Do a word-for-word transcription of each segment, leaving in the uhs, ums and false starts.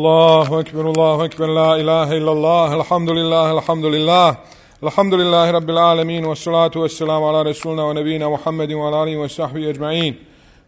الله أكبر الله أكبر لا إله إلا الله الحمد لله الحمد لله الحمد لله رب العالمين والصلاة والسلام على رسولنا ونبينا محمد وعلى آله وصحبه أجمعين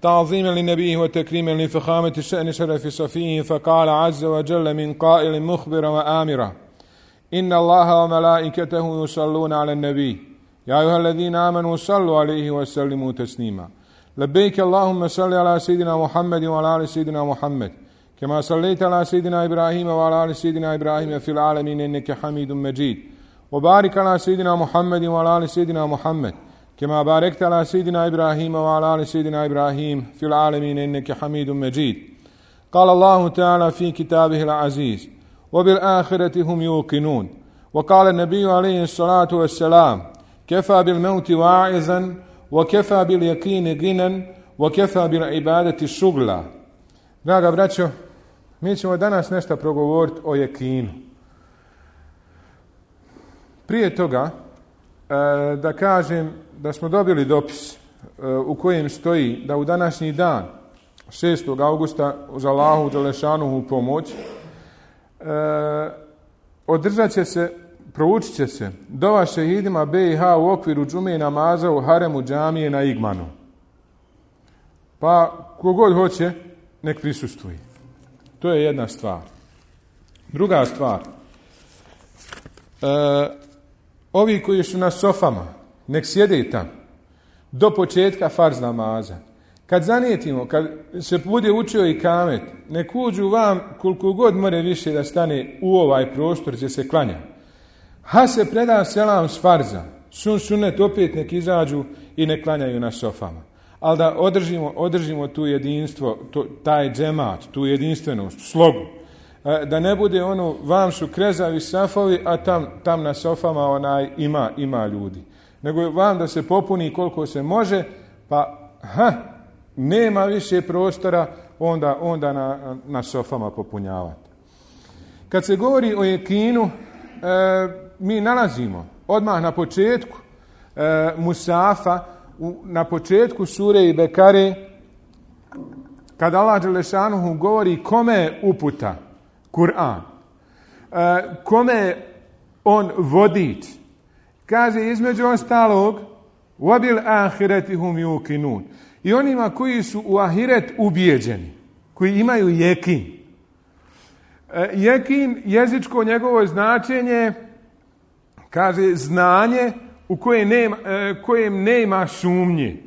تعظيما لنبيه وتكريما لفخامة الشأن شرف صفيه فقال عز وجل من قائل مخبرا وآمرا إن الله وملائكته يصلون على النبي يا أيها الذين آمنوا صلوا عليه وسلموا تسليما لبيك اللهم صل على سيدنا محمد وعلى آل سيدنا محمد كما صليت على سيدنا إبراهيم وعلى آل سيدنا إبراهيم في العالمين إنك حميد مجيد وبارك على سيدنا محمد وعلى آل سيدنا محمد كما باركت على سيدنا إبراهيم وعلى آل سيدنا إبراهيم في العالمين إنك حميد مجيد قال الله تعالى في كتابه العزيز وبالآخرة هم يوقنون وقال النبي عليه الصلاة والسلام كفى بالموت واعظا وكفى باليقين غنى وكفى بالعبادة شغلا. Draga braćo, mi ćemo danas nešto progovoriti o jekinu. Prije toga da kažem da smo dobili dopis u kojem stoji da u današnji dan šestog augusta uz Allahu dželešanuhu pomoć održat će se, proučit će se dova šehidima B i H u okviru džume namaza u haremu džamije na Igmanu. Pa kogod hoće nek prisustvuje. To je jedna stvar. Druga stvar, e, ovi koji su na sofama nek sjede tamo do početka farz namaza. Kad zanijetimo, kad se bude učio i kamet, nek uđu vam koliko god more više da stane u ovaj prostor gdje se klanja. Ha se preda selam s farza, sun sunet opet nek izađu i nek klanjaju na sofama. Ali da održimo, održimo tu jedinstvo, to, taj džemat, tu jedinstvenost, slogu. Da ne bude ono, vam su krezavi safovi, a tam, tam na sofama onaj ima, ima ljudi. Nego vam da se popuni koliko se može, pa ha, nema više prostora, onda, onda na, na sofama popunjavati. Kad se govori o jekinu, e, mi nalazimo odmah na početku e, Musafa, u, na početku sure i Bekare, kada Allah dželešanuhu govori kome je uputa Kur'an, e, kome je on vodič, kaže između ostalog وَبِلْ آخِرَةِ هُمْ يُوقِنُونَ, i onima koji su u ahiret ubijeđeni, koji imaju jekin. E, jekin, jezičko njegovo značenje, kaže znanje u koje nema, e, kojem nema sumnje.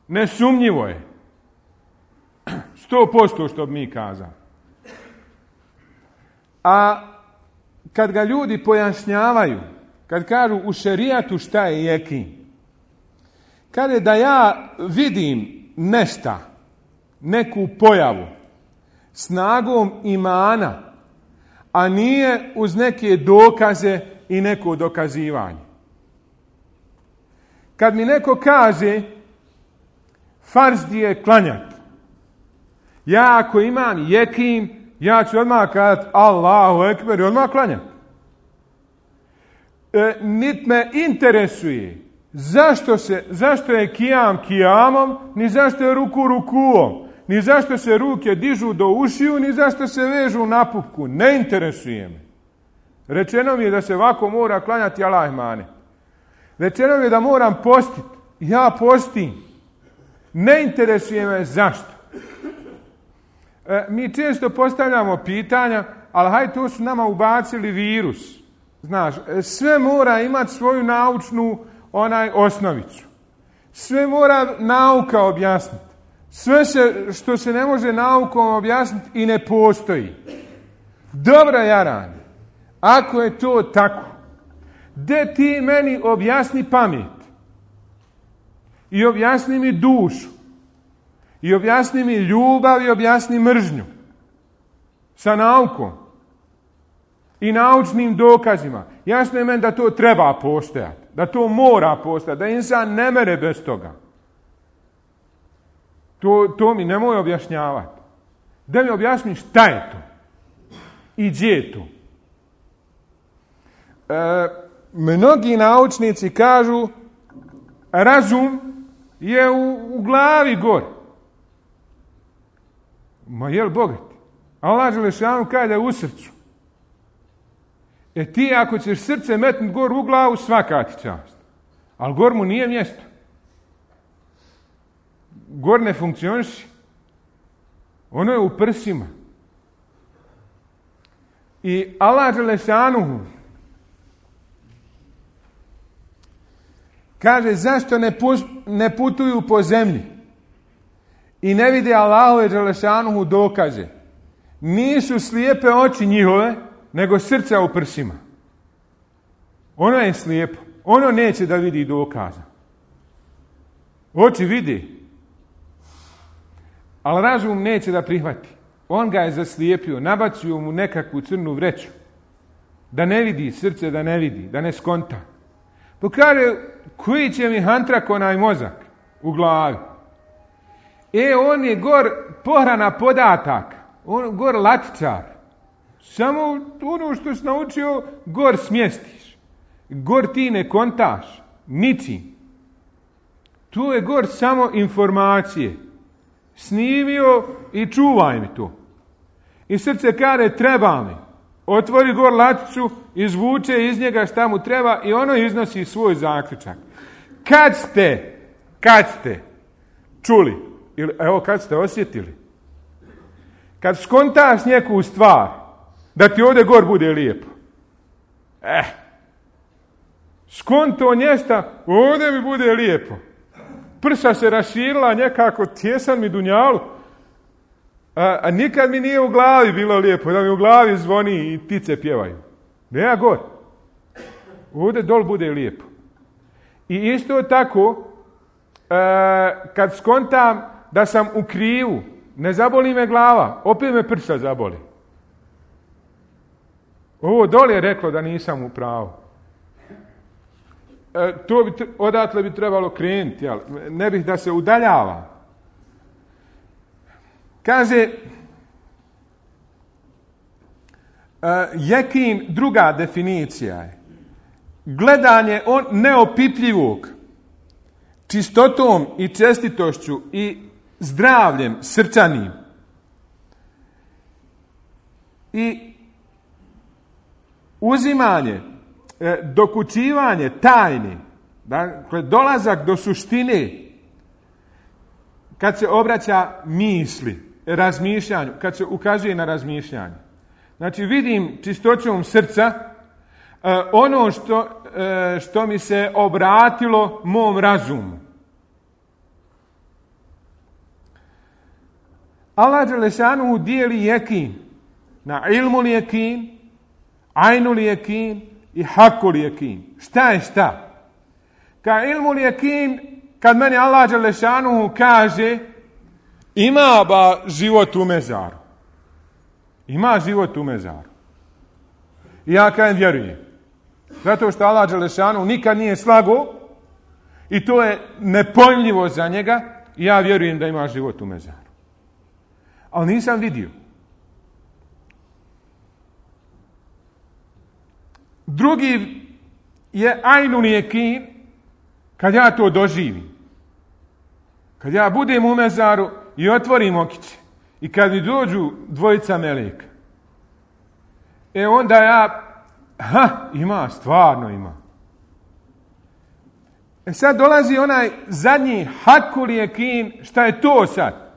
Nesumnjivo je. Sto posto što bi mi kazali. A kad ga ljudi pojašnjavaju, kad kažu u šerijatu šta je jekin, kaže da ja vidim nešta, neku pojavu, snagom imana, a nije uz neke dokaze i neko dokazivanje. Kad mi neko kaže farz je klanjati, ja ako imam jekin, ja ću odmah kazati Allahu ekber i odmah klanjati. E, nit me interesuje zašto, se, zašto je kijam kijamom, ni zašto je ruku rukuom, ni zašto se ruke dižu do ušiju, ni zašto se vežu na pupku. Ne interesuje me. Rečeno mi je da se ovako mora klanjati Allah mane. Rečeno mi je da moram postiti. Ja postim. Ne interesuje me zašto. E, mi često postavljamo pitanja, ali hajde, to su nama ubacili virus. Znaš, sve mora imati svoju naučnu onaj osnovicu. Sve mora nauka objasniti. Sve se, što se ne može naukom objasniti i ne postoji. Dobro, Jaran, ako je to tako, de ti meni objasni pamet i objasni mi dušu i objasni mi ljubav i objasni mržnju sa naukom i naučnim dokazima. Jasno je meni da to treba postojati, da to mora postojati, da insan ne mere bez toga. To, to mi nemoj objašnjavati. Da mi objasni šta je to i gdje je to. E, mnogi naučnici kažu razum je u, u glavi gore. Ma jel bogat? Allah dželešanu kaže da je u srcu. E ti ako ćeš srce metnuti gor u glavu, svaka ti čast. Ali gor mu nije mjesto. Gor ne funkcioniši. Ono je u prsima. I Allah dželešanu kaže zašto ne, pus, ne putuju po zemlji i ne vide Allahove dželešanu dokaze. Nisu slijepe oči njihove, nego srca u prsima. Ono je slijepo. Ono neće da vidi dokaza. Oči vidi. Ali razum neće da prihvati. On ga je zaslijepio, nabacio mu nekakvu crnu vreću. Da ne vidi, srce da ne vidi, da ne skonta. Pa kaže, koji će mi hantrak onaj mozak u glavi? E, on je gor pohrana podataka. On gor latičar. Samo ono što si naučio, gor smjestiš. Gor ti ne kontaš. Ničim. Tu je gor samo informacije. Snimio i čuvaj mi to. I srce kaže, treba mi. Otvori gor laticu, izvuče iz njega šta mu treba i ono iznosi svoj zaključak. Kad ste, kad ste čuli, ili evo kad ste osjetili, kad skontaš neku stvar, da ti ovdje gor bude lijepo. Eh, skonto njesta, ovdje mi bude lijepo. Prsa se raširila nekako, tjesan mi dunjalu, a, a nikad mi nije u glavi bilo lijepo, da mi u glavi zvoni i ptice pjevaju. Ne ja gor. Ovdje dol bude lijepo. I isto tako, e, kad skontam da sam u krivu, ne zaboli me glava, opet me prsa zaboli. Ovo dole je reklo da nisam u pravu. E, to bi, odatle bi trebalo krenuti, jel? Ne bih da se udaljava. Kaže, e, jekin, druga definicija je gledanje on neopipljivog čistotom i čestitošću i zdravljem srčanim i uzimanje, e, dokučivanje tajni, dakle dolazak do suštine kad se obraća misli, razmišljanju, kad se ukazuje na razmišljanje. Znači vidim čistoćom srca e, ono što, e, što mi se obratilo mom razumu. Allah dželešanu dijeli jekin na ilmul jekin, ainul jekin i hakul jekin. Šta je šta? Ka ilmul jekin, kad meni Allah dželešanu kaže ima ba život u mezaru. Ima život u mezaru. I ja kažem vjerujem. Zato što Allah dželešanu nikad nije slago i to je nepojmljivo za njega i ja vjerujem da ima život u mezaru. Ali nisam vidio. Drugi je ainul jekin, kad ja to doživim. Kad ja budem u mezaru i otvorim okiće i kad mi dođu dvojica meleka, e onda ja, ha, ima, stvarno ima. E sad dolazi onaj zadnji hakul jekin, šta je to sad?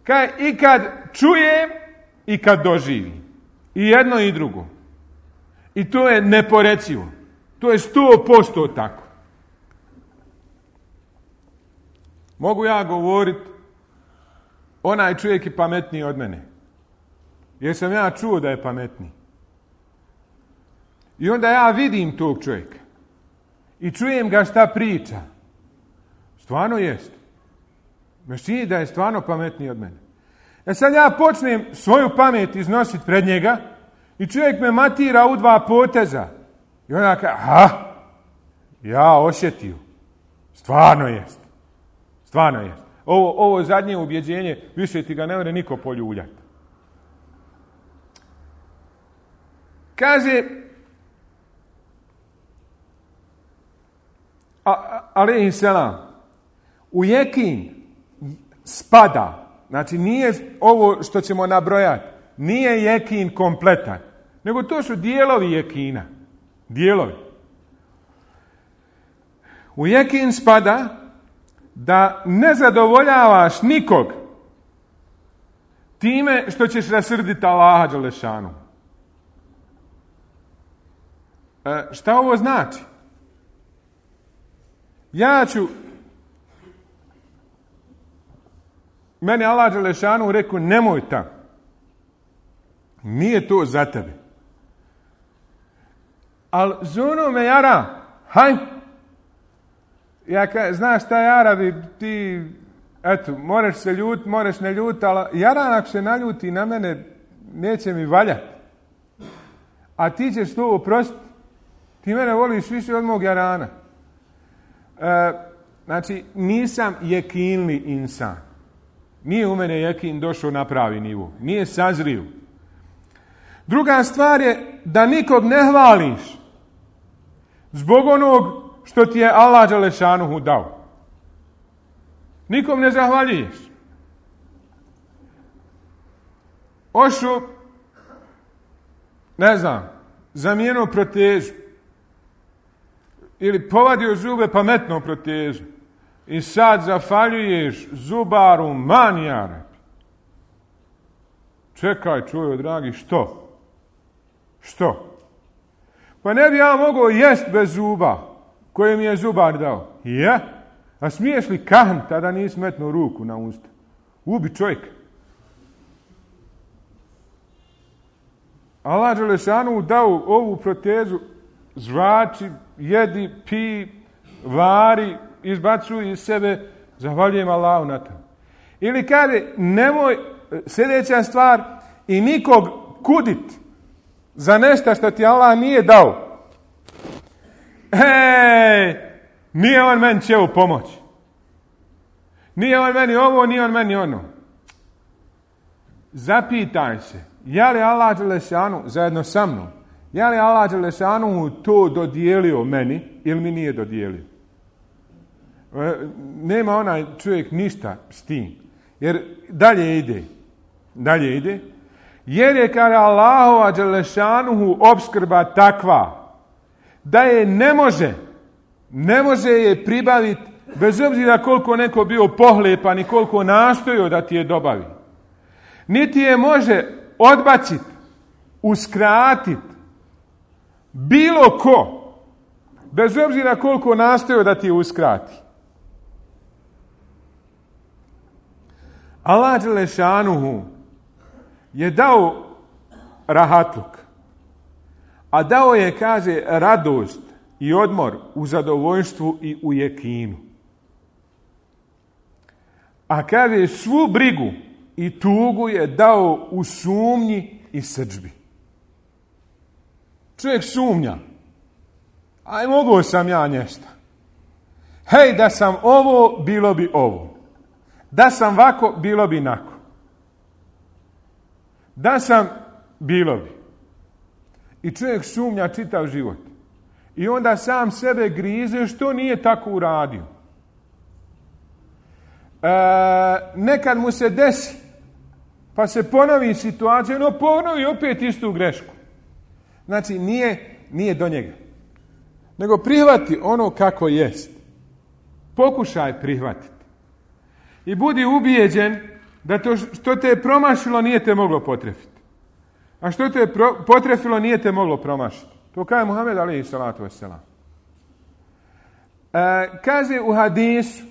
Kaj, i kad čujem i kad doživim. I jedno i drugo. I to je neporecivo. To je sto posto tako. Mogu ja govoriti, onaj čovjek je pametniji od mene. Jer sam ja čuo da je pametniji. I onda ja vidim tog čovjeka. I čujem ga šta priča. Stvarno jest. Me čini da je stvarno pametniji od mene. E sad ja počnem svoju pamet iznositi pred njega i čovjek me matira u dva poteza. I onda kaže, ha, ja osjetio. Stvarno jest. Stvarno jest. Ovo, ovo zadnje ubjeđenje, više ti ga ne može niko poljuljati. Kaže, alejhi selam, u jekin spada, znači nije ovo što ćemo nabrojati, nije jekin kompletan, nego to su dijelovi jekina. Dijelovi. U jekin spada da ne zadovoljavaš nikog time što ćeš rasrditi Allaha dželešanu. E, šta ovo znači? Ja ću meni Allah dželešanu rekao nemoj tamo. Nije to za tebe. Ali zuno me jara. Haj. Ja ka, znaš šta jara bi ti, eto, moraš se ljut, moraš ne ljut, ali jara ako se naljuti na mene, neće mi valjati. A ti ćeš to oprostiti. Ti mene voliš više od mog jarana. E, znači, nisam jekinli insan. Nije u mene jekin došao na pravi nivo. Nije sazrio. Druga stvar je da nikog ne hvališ zbog onog što ti je Allah dželešanuhu dao. Nikom ne zahvaljuješ. Ošu, ne znam, zamijenio protezu. Ili povadio zube pametno protezu. I sad zahvaljuješ zubaru manijara. Čekaj, čujo, dragi, što? Što? Pa ne bi ja mogao jest bez zuba koje mi je zubar dao. Je? A smiješ li kahn, tada nisi metnuo ruku na usta? Ubi čovjeka. Allah dželešanu dao ovu protezu, zvači, jedi, pi, vari, izbacuj iz sebe, zahvaljujem Allahu na to. Ili kaže, nemoj, sljedeća stvar, i nikog kudit za nešto što ti Allah nije dao. Hej, nije on meni će u pomoć. Nije on meni ovo, nije on meni ono. Zapitaj se, je li Allah dželešanu zajedno sa mnom, je li Allah dželešanu to dodijelio meni ili mi nije dodijelio? Nema onaj čovjek ništa s tim. Jer dalje ide. Dalje ide. Jer je kada Allahova dželešanuhu opskrba takva da je ne može, ne može je pribaviti bez obzira koliko neko bio pohlepan i koliko nastojio da ti je dobavi. Niti je može odbaciti, uskratiti bilo ko, bez obzira koliko nastojio da ti je uskrati. Allah dželešanuhu je dao rahatluk, a dao je, kaže, radost i odmor u zadovoljstvu i u jekinu. A kaže, svu brigu i tugu je dao u sumnji i srdžbi. Čovjek sumnja. Aj, mogao sam ja nešto. Hej, da sam ovo, bilo bi ovo. Da sam vako, bilo bi nako. Da sam, bilo bi. I čovjek sumnja čitav život. I onda sam sebe grize što nije tako uradio. E, nekad mu se desi, pa se ponovi situacija, no ponovi opet istu grešku. Znači, nije, nije do njega. Nego prihvati ono kako jest. Pokušaj prihvatiti. I budi ubijeđen da to što te je promašilo nije te moglo potrefiti. A što te je pro, potrefilo nije te moglo promašiti. To kaže Muhammed alejhi salatu vesselam. E, kaže u hadisu,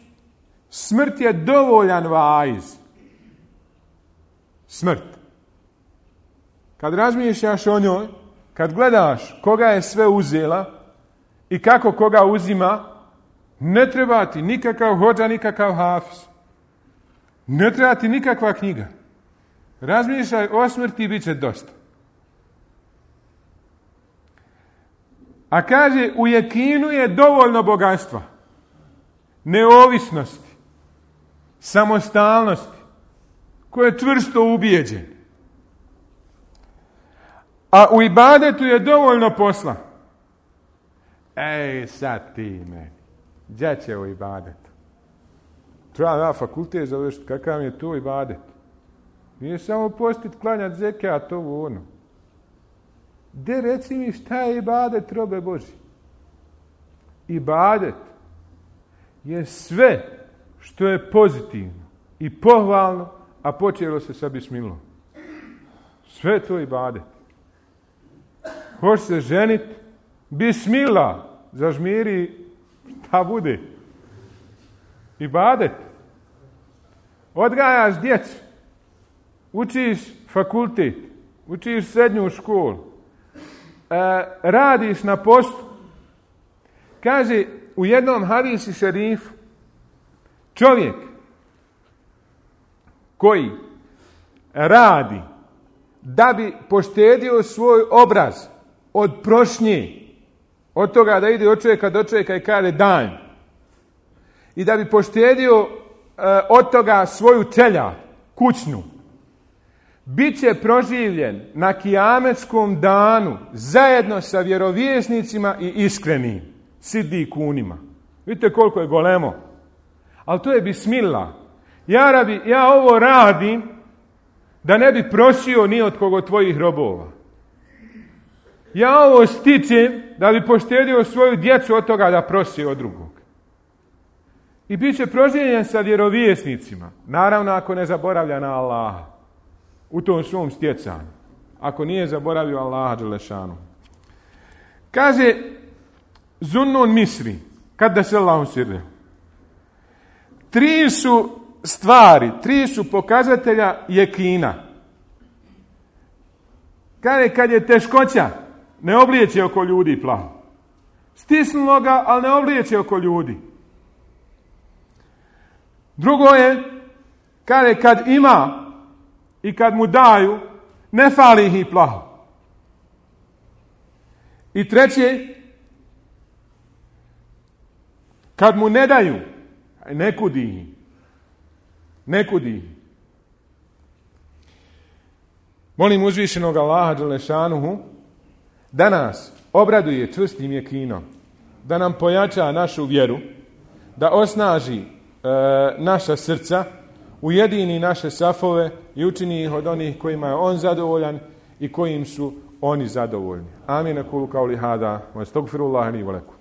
smrt je dovoljan vaiz. Smrt. Kad razmišljaš o njoj, kad gledaš koga je sve uzela i kako koga uzima, ne treba ti nikakav hodža, nikakav hafiz. Ne treba ti nikakva knjiga. Razmišljaj o smrti i bit će dosta. A kaže, u jekinu je dovoljno bogatstva, neovisnosti, samostalnosti, koje je čvrsto ubijeđen. A u ibadetu je dovoljno posla. Ej, sad ti meni. Gdje će u ibadetu? Treba ja fakultet završiti. Kakav je to ibadet? Nije samo postit, klanjat, zekat, ovo ono. De reci mi šta je ibadet, robe Boži? Ibadet je sve što je pozitivno i pohvalno, a počelo se sa bismilom. Sve to je ibadet. Hoće se ženit, bismila, zažmiri, šta bude? Ibadet. Odgajaš djecu, učiš fakultet, učiš srednju školu, e, radiš na poslu. Kaže u jednom hadisi šerifu, čovjek koji radi da bi poštedio svoj obraz od prošnje, od toga da ide od čovjeka do čovjeka i kaže dan, i da bi poštedio e, od toga svoju čeljad, kućnu, bit će proživljen na kijametskom danu zajedno sa vjerovjesnicima i iskrenim sidikunima. Vidite koliko je golemo. Ali to je bismillah. Ja, rabi, ja ovo radim da ne bi prosio ni od koga od tvojih robova. Ja ovo stičem da bi poštedio svoju djecu od toga da prosi od drugog. I bit će proživljen sa vjerovjesnicima. Naravno ako ne zaboravlja na Allaha u tom svom stjecanju. Ako nije zaboravio Allaha dželešanu. Kaže Zunnun Misri, kad da se Allahum sirre. Tri su stvari, tri su pokazatelja jekina. Kaže, kad je teškoća, ne oblijeće oko ljudi plaho. Stisnulo ga, ali ne oblijeće oko ljudi. Drugo je, kaže, kad ima i kad mu daju, ne fali ih i plaho. I treće, kad mu ne daju, ne kudi ih. Ne kudi ih. Molim uzvišenog Allaha dželešanuhu da nas obraduje čvrstim jekinom, da nam pojača našu vjeru, da osnaži e, naša srca, ujedini naše safove i učini ih od onih kojima je on zadovoljan i kojim su oni zadovoljni. Amin. Kulu kauli hada, wa astagfirullah li wa lakum.